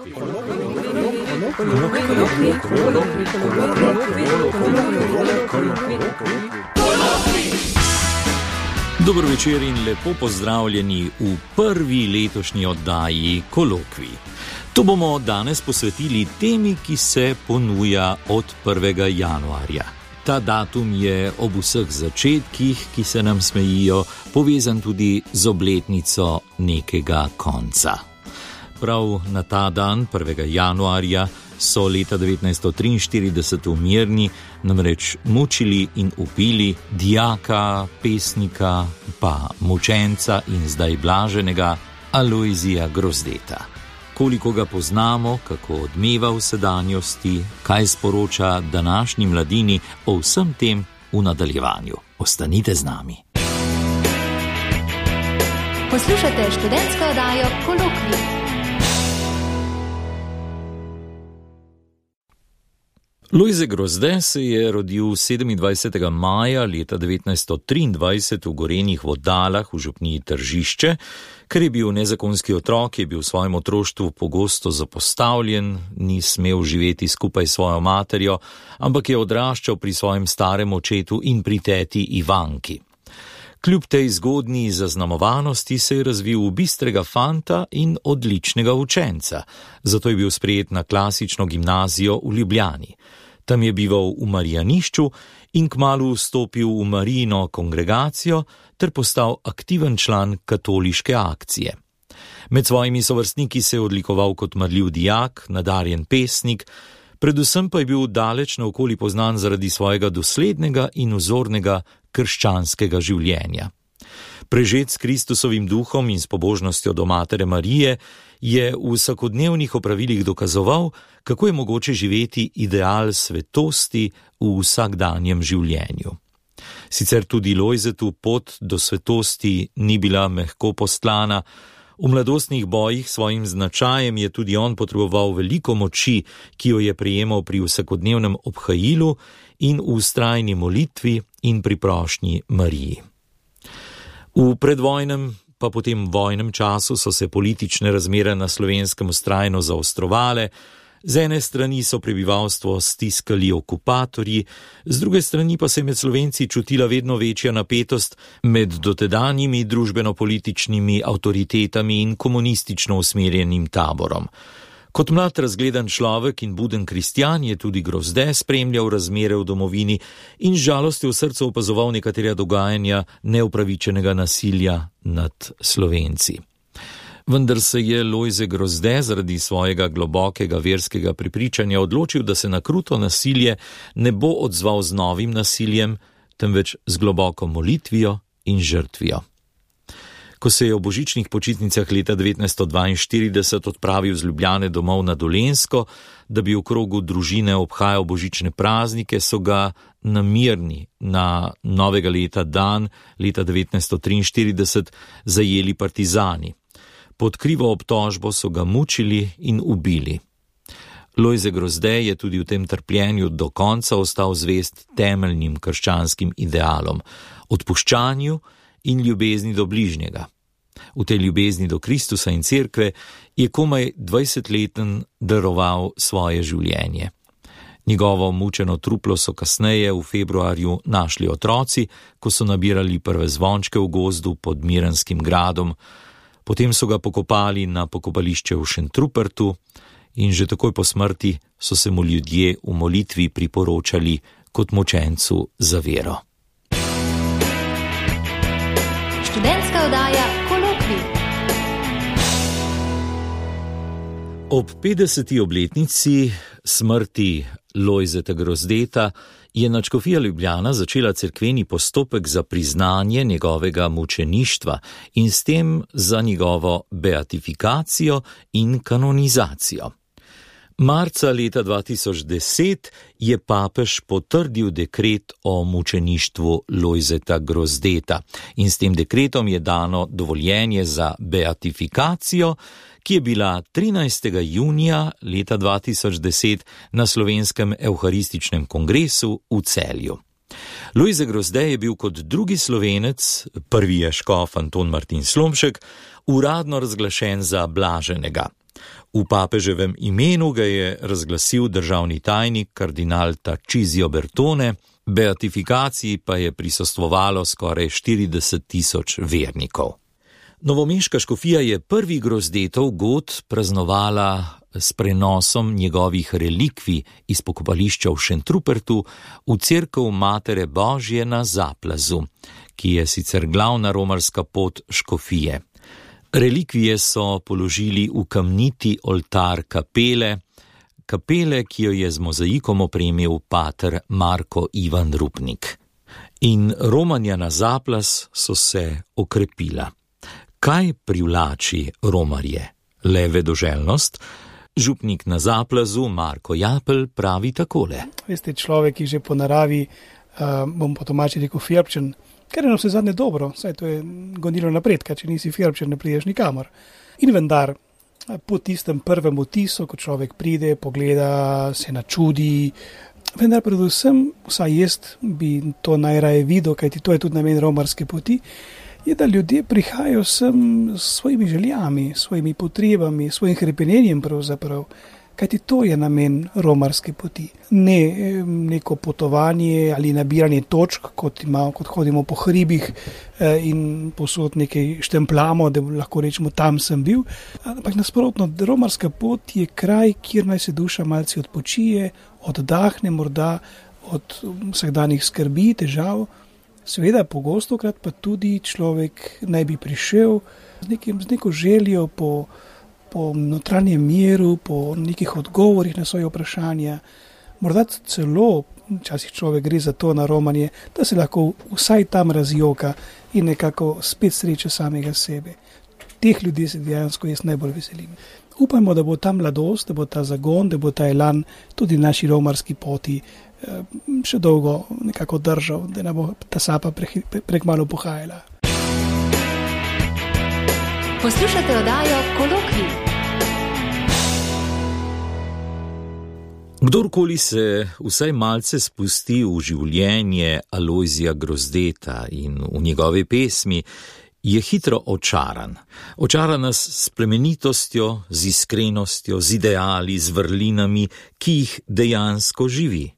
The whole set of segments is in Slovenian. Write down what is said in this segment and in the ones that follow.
Dober večer in lepo pozdravljeni v prvi letošnji oddaji Kolokvij. To bomo danes posvetili temi, ki se ponuja od 1. januarja. Ta datum je ob vseh začetkih, ki se nam smejijo, povezan tudi z obletnico nekega konca. Prav na ta dan, 1. januarja, so leta 1943 v Mirni namreč mučili in ubili dijaka, pesnika, pa mučenca in zdaj blaženega Alojzija Grozdeta. Koliko ga poznamo, kako odmeva v sedanjosti, kaj sporoča današnji mladini, o vsem tem v nadaljevanju. Ostanite z nami. Poslušate študentsko oddajo Kolokvij. Lojze Grozde se je rodil 27. maja leta 1923 v Gorenjih Vodalah v župniji Tržišče. Ker je bil nezakonski otrok, je bil v svojem otroštvu pogosto zapostavljen, ni smel živeti skupaj s svojo materjo, ampak je odraščal pri svojem starem očetu in pri teti Ivanki. Kljub tej zgodnji zaznamovanosti se je razvil v bistrega fanta in odličnega učenca, zato je bil sprejet na klasično gimnazijo v Ljubljani. Tam je bival v Marijanišču in kmalu vstopil v Marijino kongregacijo ter postal aktiven član katoliške akcije. Med svojimi sovrstniki se je odlikoval kot marljiv dijak, nadarjen pesnik, predvsem pa je bil daleč naokoli poznan zaradi svojega doslednega in vzornega krščanskega življenja. Prežet s Kristusovim duhom in s pobožnostjo do Matere Marije je v vsakodnevnih opravilih dokazoval, kako je mogoče živeti ideal svetosti v vsakdanjem življenju. Sicer tudi Lojzetu pot do svetosti ni bila mehko postlana, v mladostnih bojih svojim značajem je tudi on potreboval veliko moči, ki jo je prejemal pri vsakodnevnem obhajilu in v vztrajni molitvi in pri prošnji Mariji. V predvojnem pa potem vojnem času so se politične razmere na Slovenskem vztrajno zaostrovale, z ene strani so prebivalstvo stiskali okupatorji, z druge strani pa se je med Slovenci čutila vedno večja napetost med dotedanjimi družbeno-političnimi avtoritetami in komunistično usmerjenim taborom. Kot mlad razgledan človek in buden kristjan je tudi Grozde spremljal razmere v domovini in z žalostjo v srcu opazoval nekatera dogajanja neupravičenega nasilja nad Slovenci. Vendar se je Lojze Grozde zaradi svojega globokega verskega prepričanja odločil, da se na kruto nasilje ne bo odzval z novim nasiljem, temveč z globoko molitvijo in žrtvijo. Ko se je v božičnih počitnicah leta 1942 odpravil z Ljubljane domov na Dolenjsko, da bi v krogu družine obhajal božične praznike, so ga na Mirni na novega leta dan leta 1943 zajeli partizani. Pod krivo obtožbo so ga mučili in ubili. Lojze Grozde je tudi v tem trpljenju do konca ostal zvest temeljnim krščanskim idealom, odpuščanju in ljubezni do bližnjega. V tej ljubezni do Kristusa in cerkve je komaj 20-leten daroval svoje življenje. Njegovo mučeno truplo so kasneje v februarju našli otroci, ko so nabirali prve zvončke v gozdu pod Miranskim gradom. Potem so ga pokopali na pokopališče v Šentrupertu in že takoj po smrti so se mu ljudje v molitvi priporočali kot mučencu za vero. Študentska oddaja Kolokvij. Ob 50. obletnici smrti Lojzeta Grozdeta je nadškofija Ljubljana začela cerkveni postopek za priznanje njegovega mučeništva in s tem za njegovo beatifikacijo in kanonizacijo. Marca leta 2010 je papež potrdil dekret o mučeništvu Lojzeta Grozdeta in s tem dekretom je dano dovoljenje za beatifikacijo, ki je bila 13. junija leta 2010 na Slovenskem evharističnem kongresu v Celju. Lojze Grozde je bil kot drugi Slovenec, prvi je škof Anton Martin Slomšek, uradno razglašen za blaženega. V papeževem imenu ga je razglasil državni tajnik kardinal Tarcisio Bertone, beatifikaciji pa je prisostvovalo skoraj 40.000 vernikov. Novomeška škofija je prvi grozdetov god praznovala s prenosom njegovih relikvij iz pokopališča v Šentrupertu v cerkev Matere Božje na Zaplazu, ki je sicer glavna romarska pot škofije. Relikvije so položili v kamniti oltar kapele, ki jo je z mozaikom opremil pater Marko Ivan Rupnik. In romanja na Zaplaz so se okrepila. Kaj privlači romarje? Le vedoželjnost? Župnik na Zaplazu Marko Japelj pravi takole. Veste, človek, ki že po naravi, bom po domači rekel, firbčen, ker je na vse zadnje dobro, saj to je gonilo napredka, če nisi firbčen, ne prideš nikamor. In vendar, po tistem prvem vtisu, ko človek pride, pogleda, se načudi, vendar predvsem, vsaj jaz bi to najraje videl, kajti to je tudi namen romarske poti, je, da ljudje prihajajo sem s svojimi željami, svojimi potrebami, svojim hrepenenjem pravzaprav, kajti to je namen romarske poti. Ne neko potovanje ali nabiranje točk, kot hodimo po hribih in posod nekaj štempljamo, da lahko rečemo, tam sem bil. Ampak nasprotno, romarska pot je kraj, kjer naj se duša malce odpočije, oddahne morda od vsakdanjih skrbi, težav. Seveda, pogostokrat pa tudi človek naj bi prišel z neko željo po notranjem miru, po nekih odgovorih na svoje vprašanja. Morda celo, včasih človek gre za to na romanje, da se lahko vsaj tam razjoka in nekako spet sreče samega sebe. Teh ljudi se dejansko jaz najbolj veselim. Upajmo, da bo ta mladost, da bo ta zagon, da bo ta elan tudi naši romarski poti še dolgo nekako držal, da ne bo ta sapa prekmalu pohajala. Poslušate oddajo Kolokvij. Kdorkoli se vsaj malce spusti v življenje Alojzija Grozdeta in v njegove pesmi, je hitro očaran. Očara nas s plemenitostjo, z iskrenostjo, z ideali, z vrlinami, ki jih dejansko živi.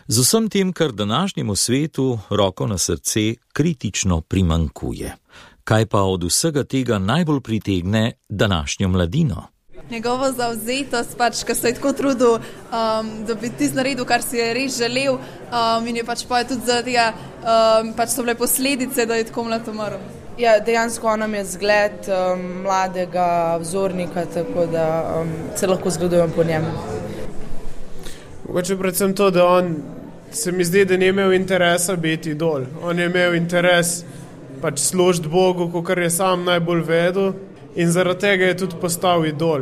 Z vsem tem, kar današnjemu svetu, roko na srce, kritično primankuje. Kaj pa od vsega tega najbolj pritegne današnjo mladino? Njegovo zavzetost, ko se je tako trudil, da bi ti naredil, kar si je res želel, in je tudi zaradi tega, so bile posledice, da je tako mlad umrl. Ja, dejansko on nam je zgled mladega vzornika, tako da se lahko zgledujem po njem. Mogoče predvsem to, da on se mi zdi, da ni imel interesa biti idol. On je imel interes služiti Bogu, kakor je sam najbolj vedel, in zaradi tega je tudi postal idol.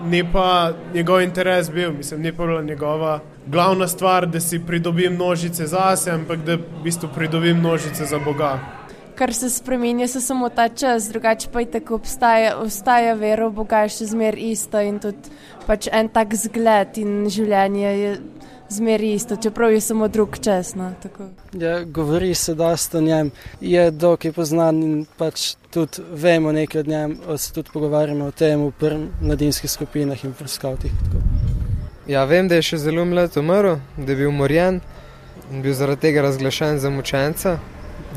Ni pa njegov interes bil, ni pa bila njegova glavna stvar, da si pridobim množice zase, ampak da v bistvu pridobim množice za Boga. Kar se spremenja, se samo ta čas, drugače pa je tako ostaja vera v Boga še zmer isto in tudi en tak zgled in življenje je zmer isto, čeprav je samo drug čas. No, tako. Ja, govori se dosta o njem, je dokaj poznan in tudi vemo nekaj od njem, se tudi pogovarjamo o tem v mladinskih skupinah in v skavtih. Ja, vem, da je še zelo mlad umrl, da je bil umorjen in bil zaradi tega razglašen za mučenca.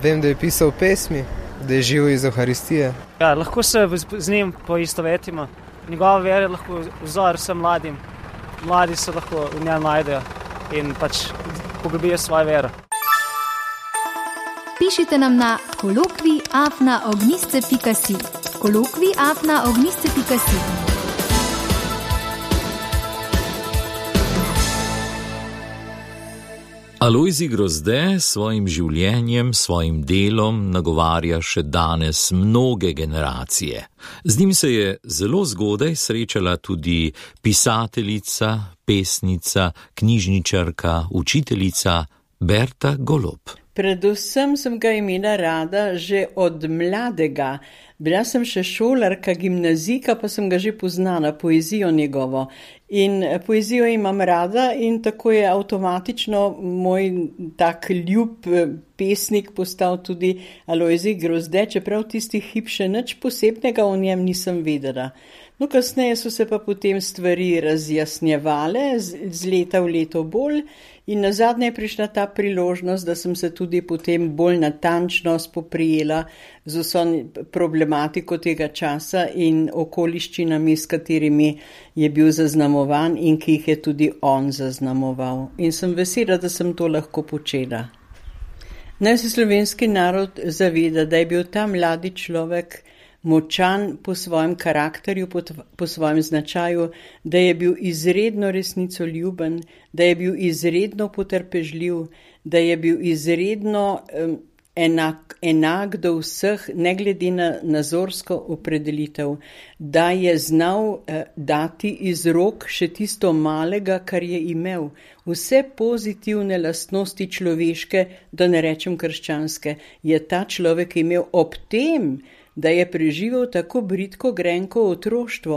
Vem, da je pisal pesmi, da je živel iz Euharistije. Ja, lahko se z njim poistovetimo. Njegova vera je lahko vzor vsem mladim. Mladi se lahko v njem najdejo in poglobijo svojo vero. Pišite nam na kolokvij@ognisce.si. kolokvij@ognisce.si. Alojzij Grozde s svojim življenjem, svojim delom nagovarja še danes mnoge generacije. Z njim se je zelo zgodaj srečala tudi pisateljica, pesnica, knjižničarka, učiteljica Berta Golob. Predvsem sem ga imela rada že od mladega. Bila sem še šolarka, gimnazijka, pa sem ga že poznala, poezijo njegovo. In poezijo imam rada in tako je avtomatično moj tak ljub pesnik postal tudi Alojzij Grozde, čeprav tisti hip še nič posebnega o njem nisem vedela. No, kasneje so se pa potem stvari razjasnjevale z leta v leto bolj in nazadnje je prišla ta priložnost, da sem se tudi potem bolj natančno spoprijela z vso problematiko tega časa in okoliščinami, s katerimi je bil zaznamovan in ki jih je tudi on zaznamoval. In sem vesela, da sem to lahko počela. Naj se slovenski narod zaveda, da je bil ta mladi človek močan po svojem karakterju, po svojem značaju, da je bil izredno resnicoljuben, da je bil izredno potrpežljiv, da je bil izredno enak do vseh, ne glede na nazorsko opredelitev, da je znal dati iz rok še tisto malega, kar je imel. Vse pozitivne lastnosti človeške, da ne rečem krščanske, je ta človek imel ob tem, da je preživel tako bridko grenko otroštvo.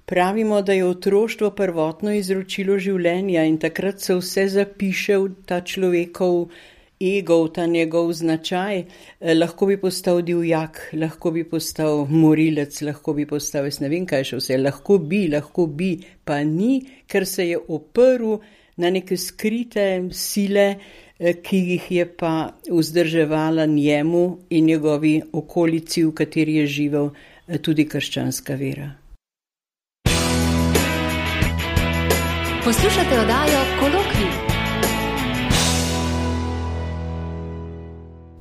Pravimo, da je otroštvo prvotno izročilo življenja in takrat se vse zapiše v ta človekov ego, v ta njegov značaj. Lahko bi postal divjak, lahko bi postal morilec, lahko bi postal, jaz ne vem kaj še vse, lahko bi, pa ni, ker se je oprl na neke skrite sile, ki jih je pa vzdrževala njemu in njegovi okolici, v kateri je živel, tudi krščanska vera. Poslušate oddajo Kolokvij.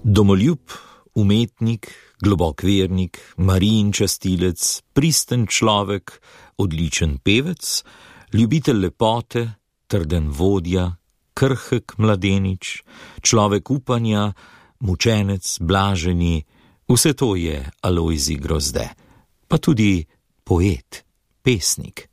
Domoljub, umetnik, globok vernik, Marijin častilec, pristen človek, odličen pevec, ljubitelj lepote, trden vodja, krhek mladenič, človek upanja, mučenec, blaženi, vse to je Alojzij Grozde. Pa tudi poet, pesnik.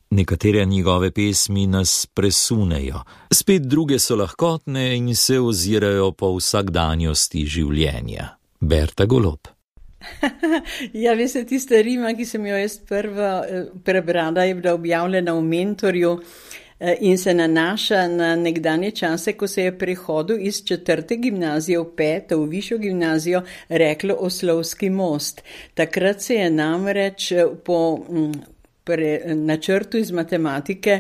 Nekatere njegove pesmi nas presunejo, spet druge so lahkotne in se ozirajo po vsakdanjosti življenja. Berta Golob. Ja, veste, tista rima, ki sem jo jaz prva prebrala, je bila objavljena v Mentorju in se nanaša na nekdanje čase, ko se je prehodu iz 4. gimnazije v 5. v višjo gimnazijo reklo Oslovski most. Takrat se je namreč po načrtu iz matematike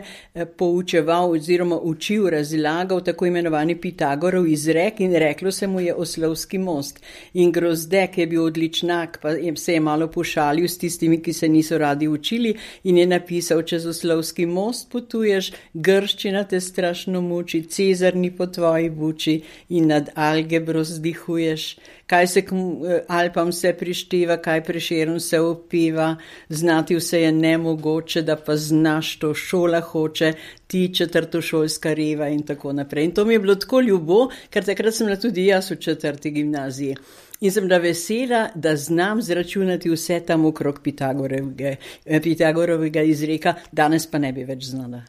poučeval oziroma učil, razlagal tako imenovani Pitagorov izrek in reklo se mu je Oslovski most. In Grozde, ki je bil odličnak, pa se je malo pošalil s tistimi, ki se niso radi učili in je napisal: čez Oslovski most potuješ, grščina te strašno muči, Cezar ni po tvoji buči in nad algebro zdihuješ. Kaj se k Alpam se prišteva, kaj Prešeren se opeva, znati vse je nemogoče, da pa znaš to šola hoče, ti četrtošolska reva in tako naprej. In to mi je bilo tako ljubo, ker takrat sem bila tudi jaz v 4. gimnaziji. In sem bila vesela, da znam zračunati vse tam okrog Pitagorovega izreka, danes pa ne bi več znala.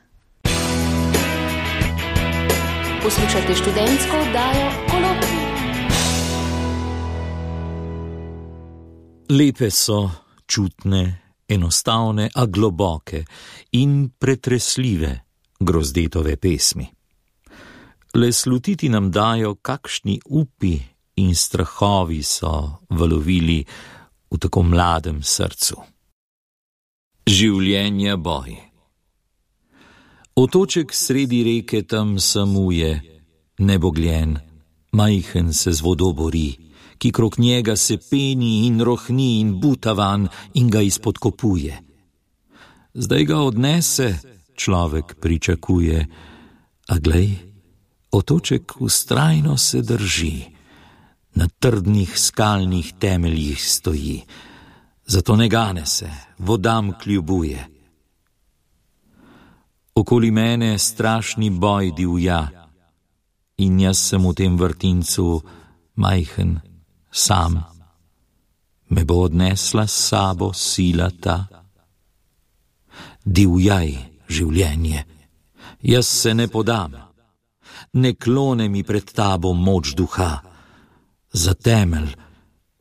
Poslušajte študentsko oddajo Kolokvij. Lepe so, čutne, enostavne, a globoke in pretresljive Grozdetove pesmi. Le slutiti nam dajo, kakšni upi in strahovi so valovili v tako mladem srcu. Življenja boj. Otoček sredi reke tam samuje, nebogljen, majhen se z vodo bori, ki krog njega se peni in rohni in butavan in ga izpodkopuje. Zdaj ga odnese, človek pričakuje, a glej, otoček vztrajno se drži, na trdnih skalnih temeljih stoji, zato ne gane se, vodam kljubuje. Okoli mene strašni boj divja, in jaz sem v tem vrtincu majhen, sam. Me bo odnesla s sabo sila ta. Divjaj, življenje, jaz se ne podam, ne klone mi pred tabo moč duha, za temelj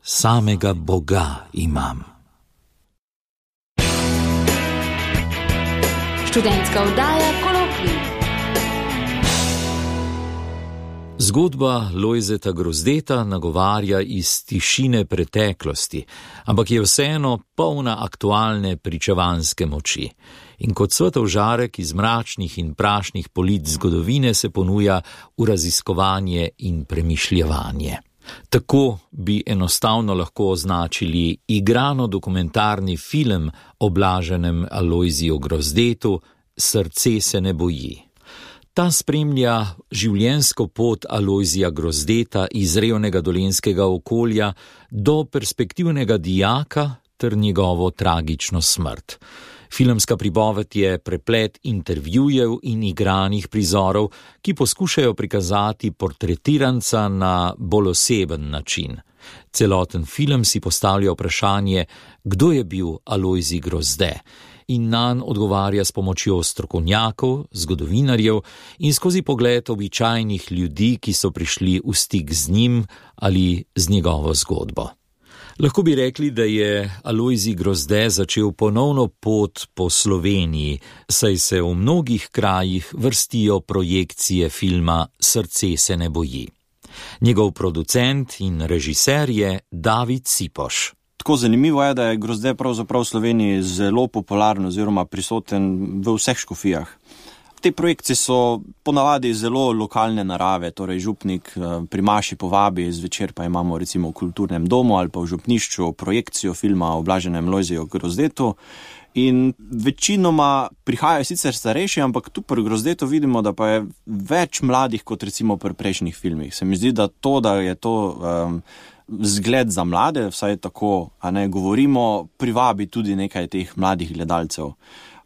samega Boga imam. Študentska oddaja Kolokvij. Zgodba Lojzeta Grozdeta nagovarja iz tišine preteklosti, ampak je vseeno polna aktualne pričevanske moči. In kot svetov žarek iz mračnih in prašnih polic zgodovine se ponuja v raziskovanje in premišljevanje. Tako bi enostavno lahko označili igrano dokumentarni film o blaženem Alojziju Grozdetu Srce se ne boji. Ta spremlja življenjsko pot Alojzija Grozdeta iz revnega dolenjskega okolja do perspektivnega dijaka ter njegovo tragično smrt. Filmska pripoved je preplet intervjujev in igranih prizorov, ki poskušajo prikazati portretiranca na bolj oseben način. Celoten film si postavlja vprašanje, kdo je bil Alojzij Grozde, in nanj odgovarja s pomočjo strokovnjakov, zgodovinarjev in skozi pogled običajnih ljudi, ki so prišli v stik z njim ali z njegovo zgodbo. Lahko bi rekli, da je Alojzij Grozde začel ponovno pot po Sloveniji, saj se v mnogih krajih vrstijo projekcije filma Srce se ne boji. Njegov producent in režiser je David Cipoš. Tako zanimivo je, da je Grozde pravzaprav v Sloveniji zelo popularen oziroma prisoten v vseh škofijah. Te projekcije so ponavadi zelo lokalne narave, torej župnik pri maši povabi, zvečer pa imamo recimo v kulturnem domu ali pa v župnišču projekcijo filma o blaženem Lojziju Grozdetu. In večinoma prihajajo sicer starejši, ampak tu pri Grozdetu vidimo, da pa je več mladih kot recimo pri prejšnjih filmih. Se mi zdi, da je to zgled za mlade, vsaj tako, a ne govorimo, privabi tudi nekaj teh mladih gledalcev.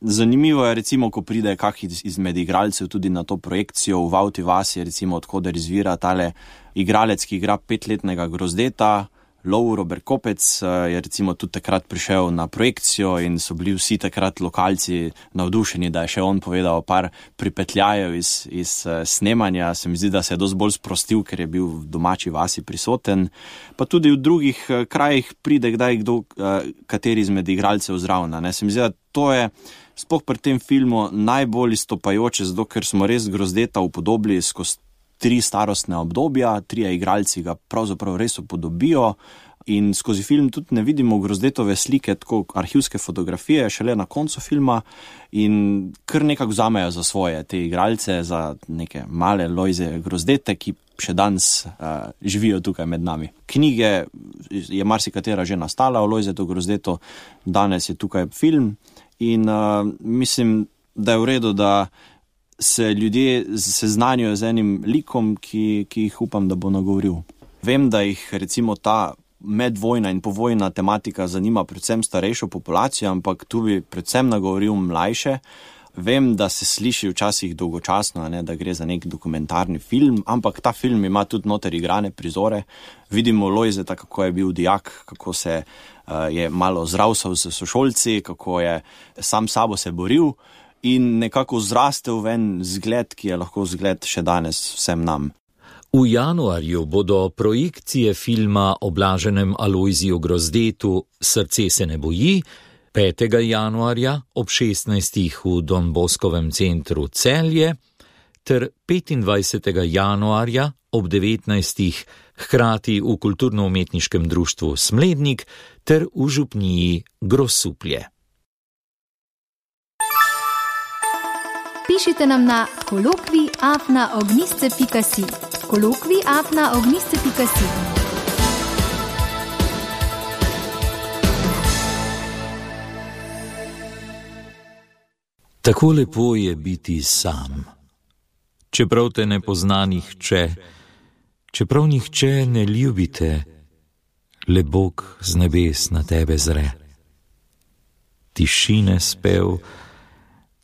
Zanimivo je recimo, ko pride kak izmed igralcev tudi na to projekcijo v Vavti vasi, recimo odkoder izvira tale igralec, ki igra 5-letnega Grozdeta, Lovro Berkopec, je recimo tudi takrat prišel na projekcijo in so bili vsi takrat lokalci navdušeni, da je še on povedal par pripetljajev iz snemanja. Se mi zdi, da se je dosti bolj sprostil, ker je bil v domači vasi prisoten. Pa tudi v drugih krajih pride kdaj kdo, kateri izmed igralcev zraven. Se mi zdi, da to je sploh pri tem filmu najbolj izstopajoče, zato ker smo res Grozdeta upodobili skozi 3 starostne obdobja, 3 igralci ga pravzaprav res upodobijo in skozi film tudi ne vidimo Grozdetove slike, tako arhivske fotografije, šele na koncu filma in kar nekako vzamejo za svoje te igralce, za neke male Lojze Grozdete, ki še danes živijo tukaj med nami. Knjige je marsikatera že nastala o Lojzetu Grozdetu, danes je tukaj film in mislim, da je v redu, da se ljudje seznanijo z enim likom, ki jih upam, da bo nagovoril. Vem, da jih recimo ta medvojna in povojna tematika zanima predvsem starejšo populacijo, ampak tu bi predvsem nagovoril mlajše. Vem, da se sliši včasih dolgočasno, da gre za nek dokumentarni film, ampak ta film ima tudi noter igrane prizore. Vidimo Lojzeta, kako je bil dijak, kako se je malo zravsal s sošolci, kako je sam sabo se boril in nekako zrastel ven zgled, ki je lahko zgled še danes vsem nam. V januarju bodo projekcije filma o blaženem Alojziju Grozdetu Srce se ne boji 5. januarja ob 16. v Don Boskovem centru Celje ter 25. januarja ob 19. hkrati v Kulturno-umetniškem društvu Smlednik ter v župniji Grosuplje. Pišite nam na kolokvij@ogniste.si. kolokvij@ogniste.si. Tako lepo je biti sam. Čeprav te ne pozna nihče, čeprav nihče ne ljubite, le Bog z nebes na tebe zre. Tišine spev,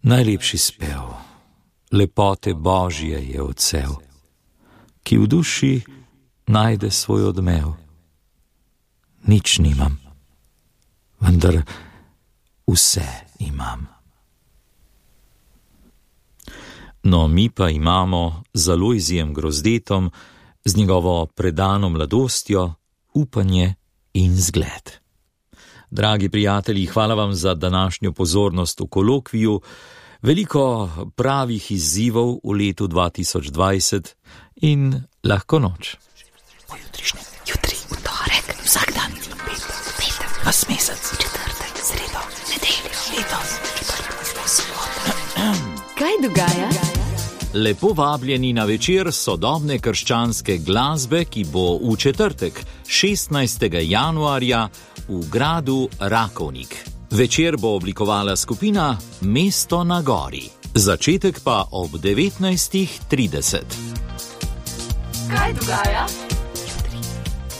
najlepši spev, lepote Božje je odsev, ki v duši najde svoj odmev. Nič nimam, vendar vse imam. No, mi pa imamo z Alojzijem Grozdetom, z njegovo predano mladostjo, upanje in zgled. Dragi prijatelji, hvala vam za današnjo pozornost v kolokviju. Veliko pravih izzivov v letu 2020 in lahko noč. Jutri, v torek, vsak dan, petek, vas mesec, četrtek, sredo, nedeljo, letos, sobota. Kaj dogaja? Lepo vabljeni na večer sodobne krščanske glasbe, ki bo v četrtek, 16. januarja, v gradu Rakovnik. Večer bo oblikovala skupina Mesto na gori. Začetek pa ob 19:30. Kaj dogaja?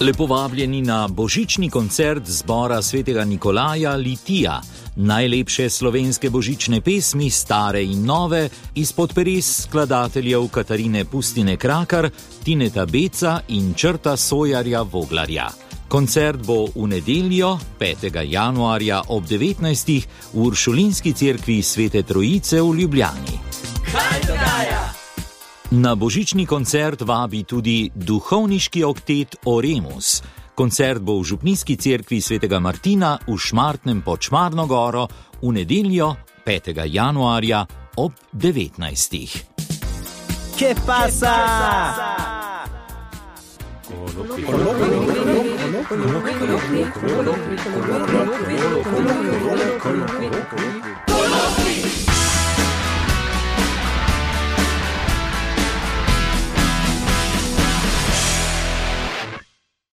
Lepo vabljeni na božični koncert zbora svetega Nikolaja Litija. Najlepše slovenske božične pesmi, stare in nove, izpod peres skladateljev Katarine Pustine Krakar, Tineta Beca in Črta Sojarja Voglarja. Koncert bo v nedeljo, 5. januarja ob 19. v Uršulinski cerkvi Svete Trojice v Ljubljani. Kaj dogaja? Na božični koncert vabi tudi duhovniški oktet Oremus. Koncert bo v župnijski cerkvi Svetega Martina v Šmartnem pod Šmarno goro v nedeljo, 5. januarja ob 19. ¿Qué pasa? Kolokvij.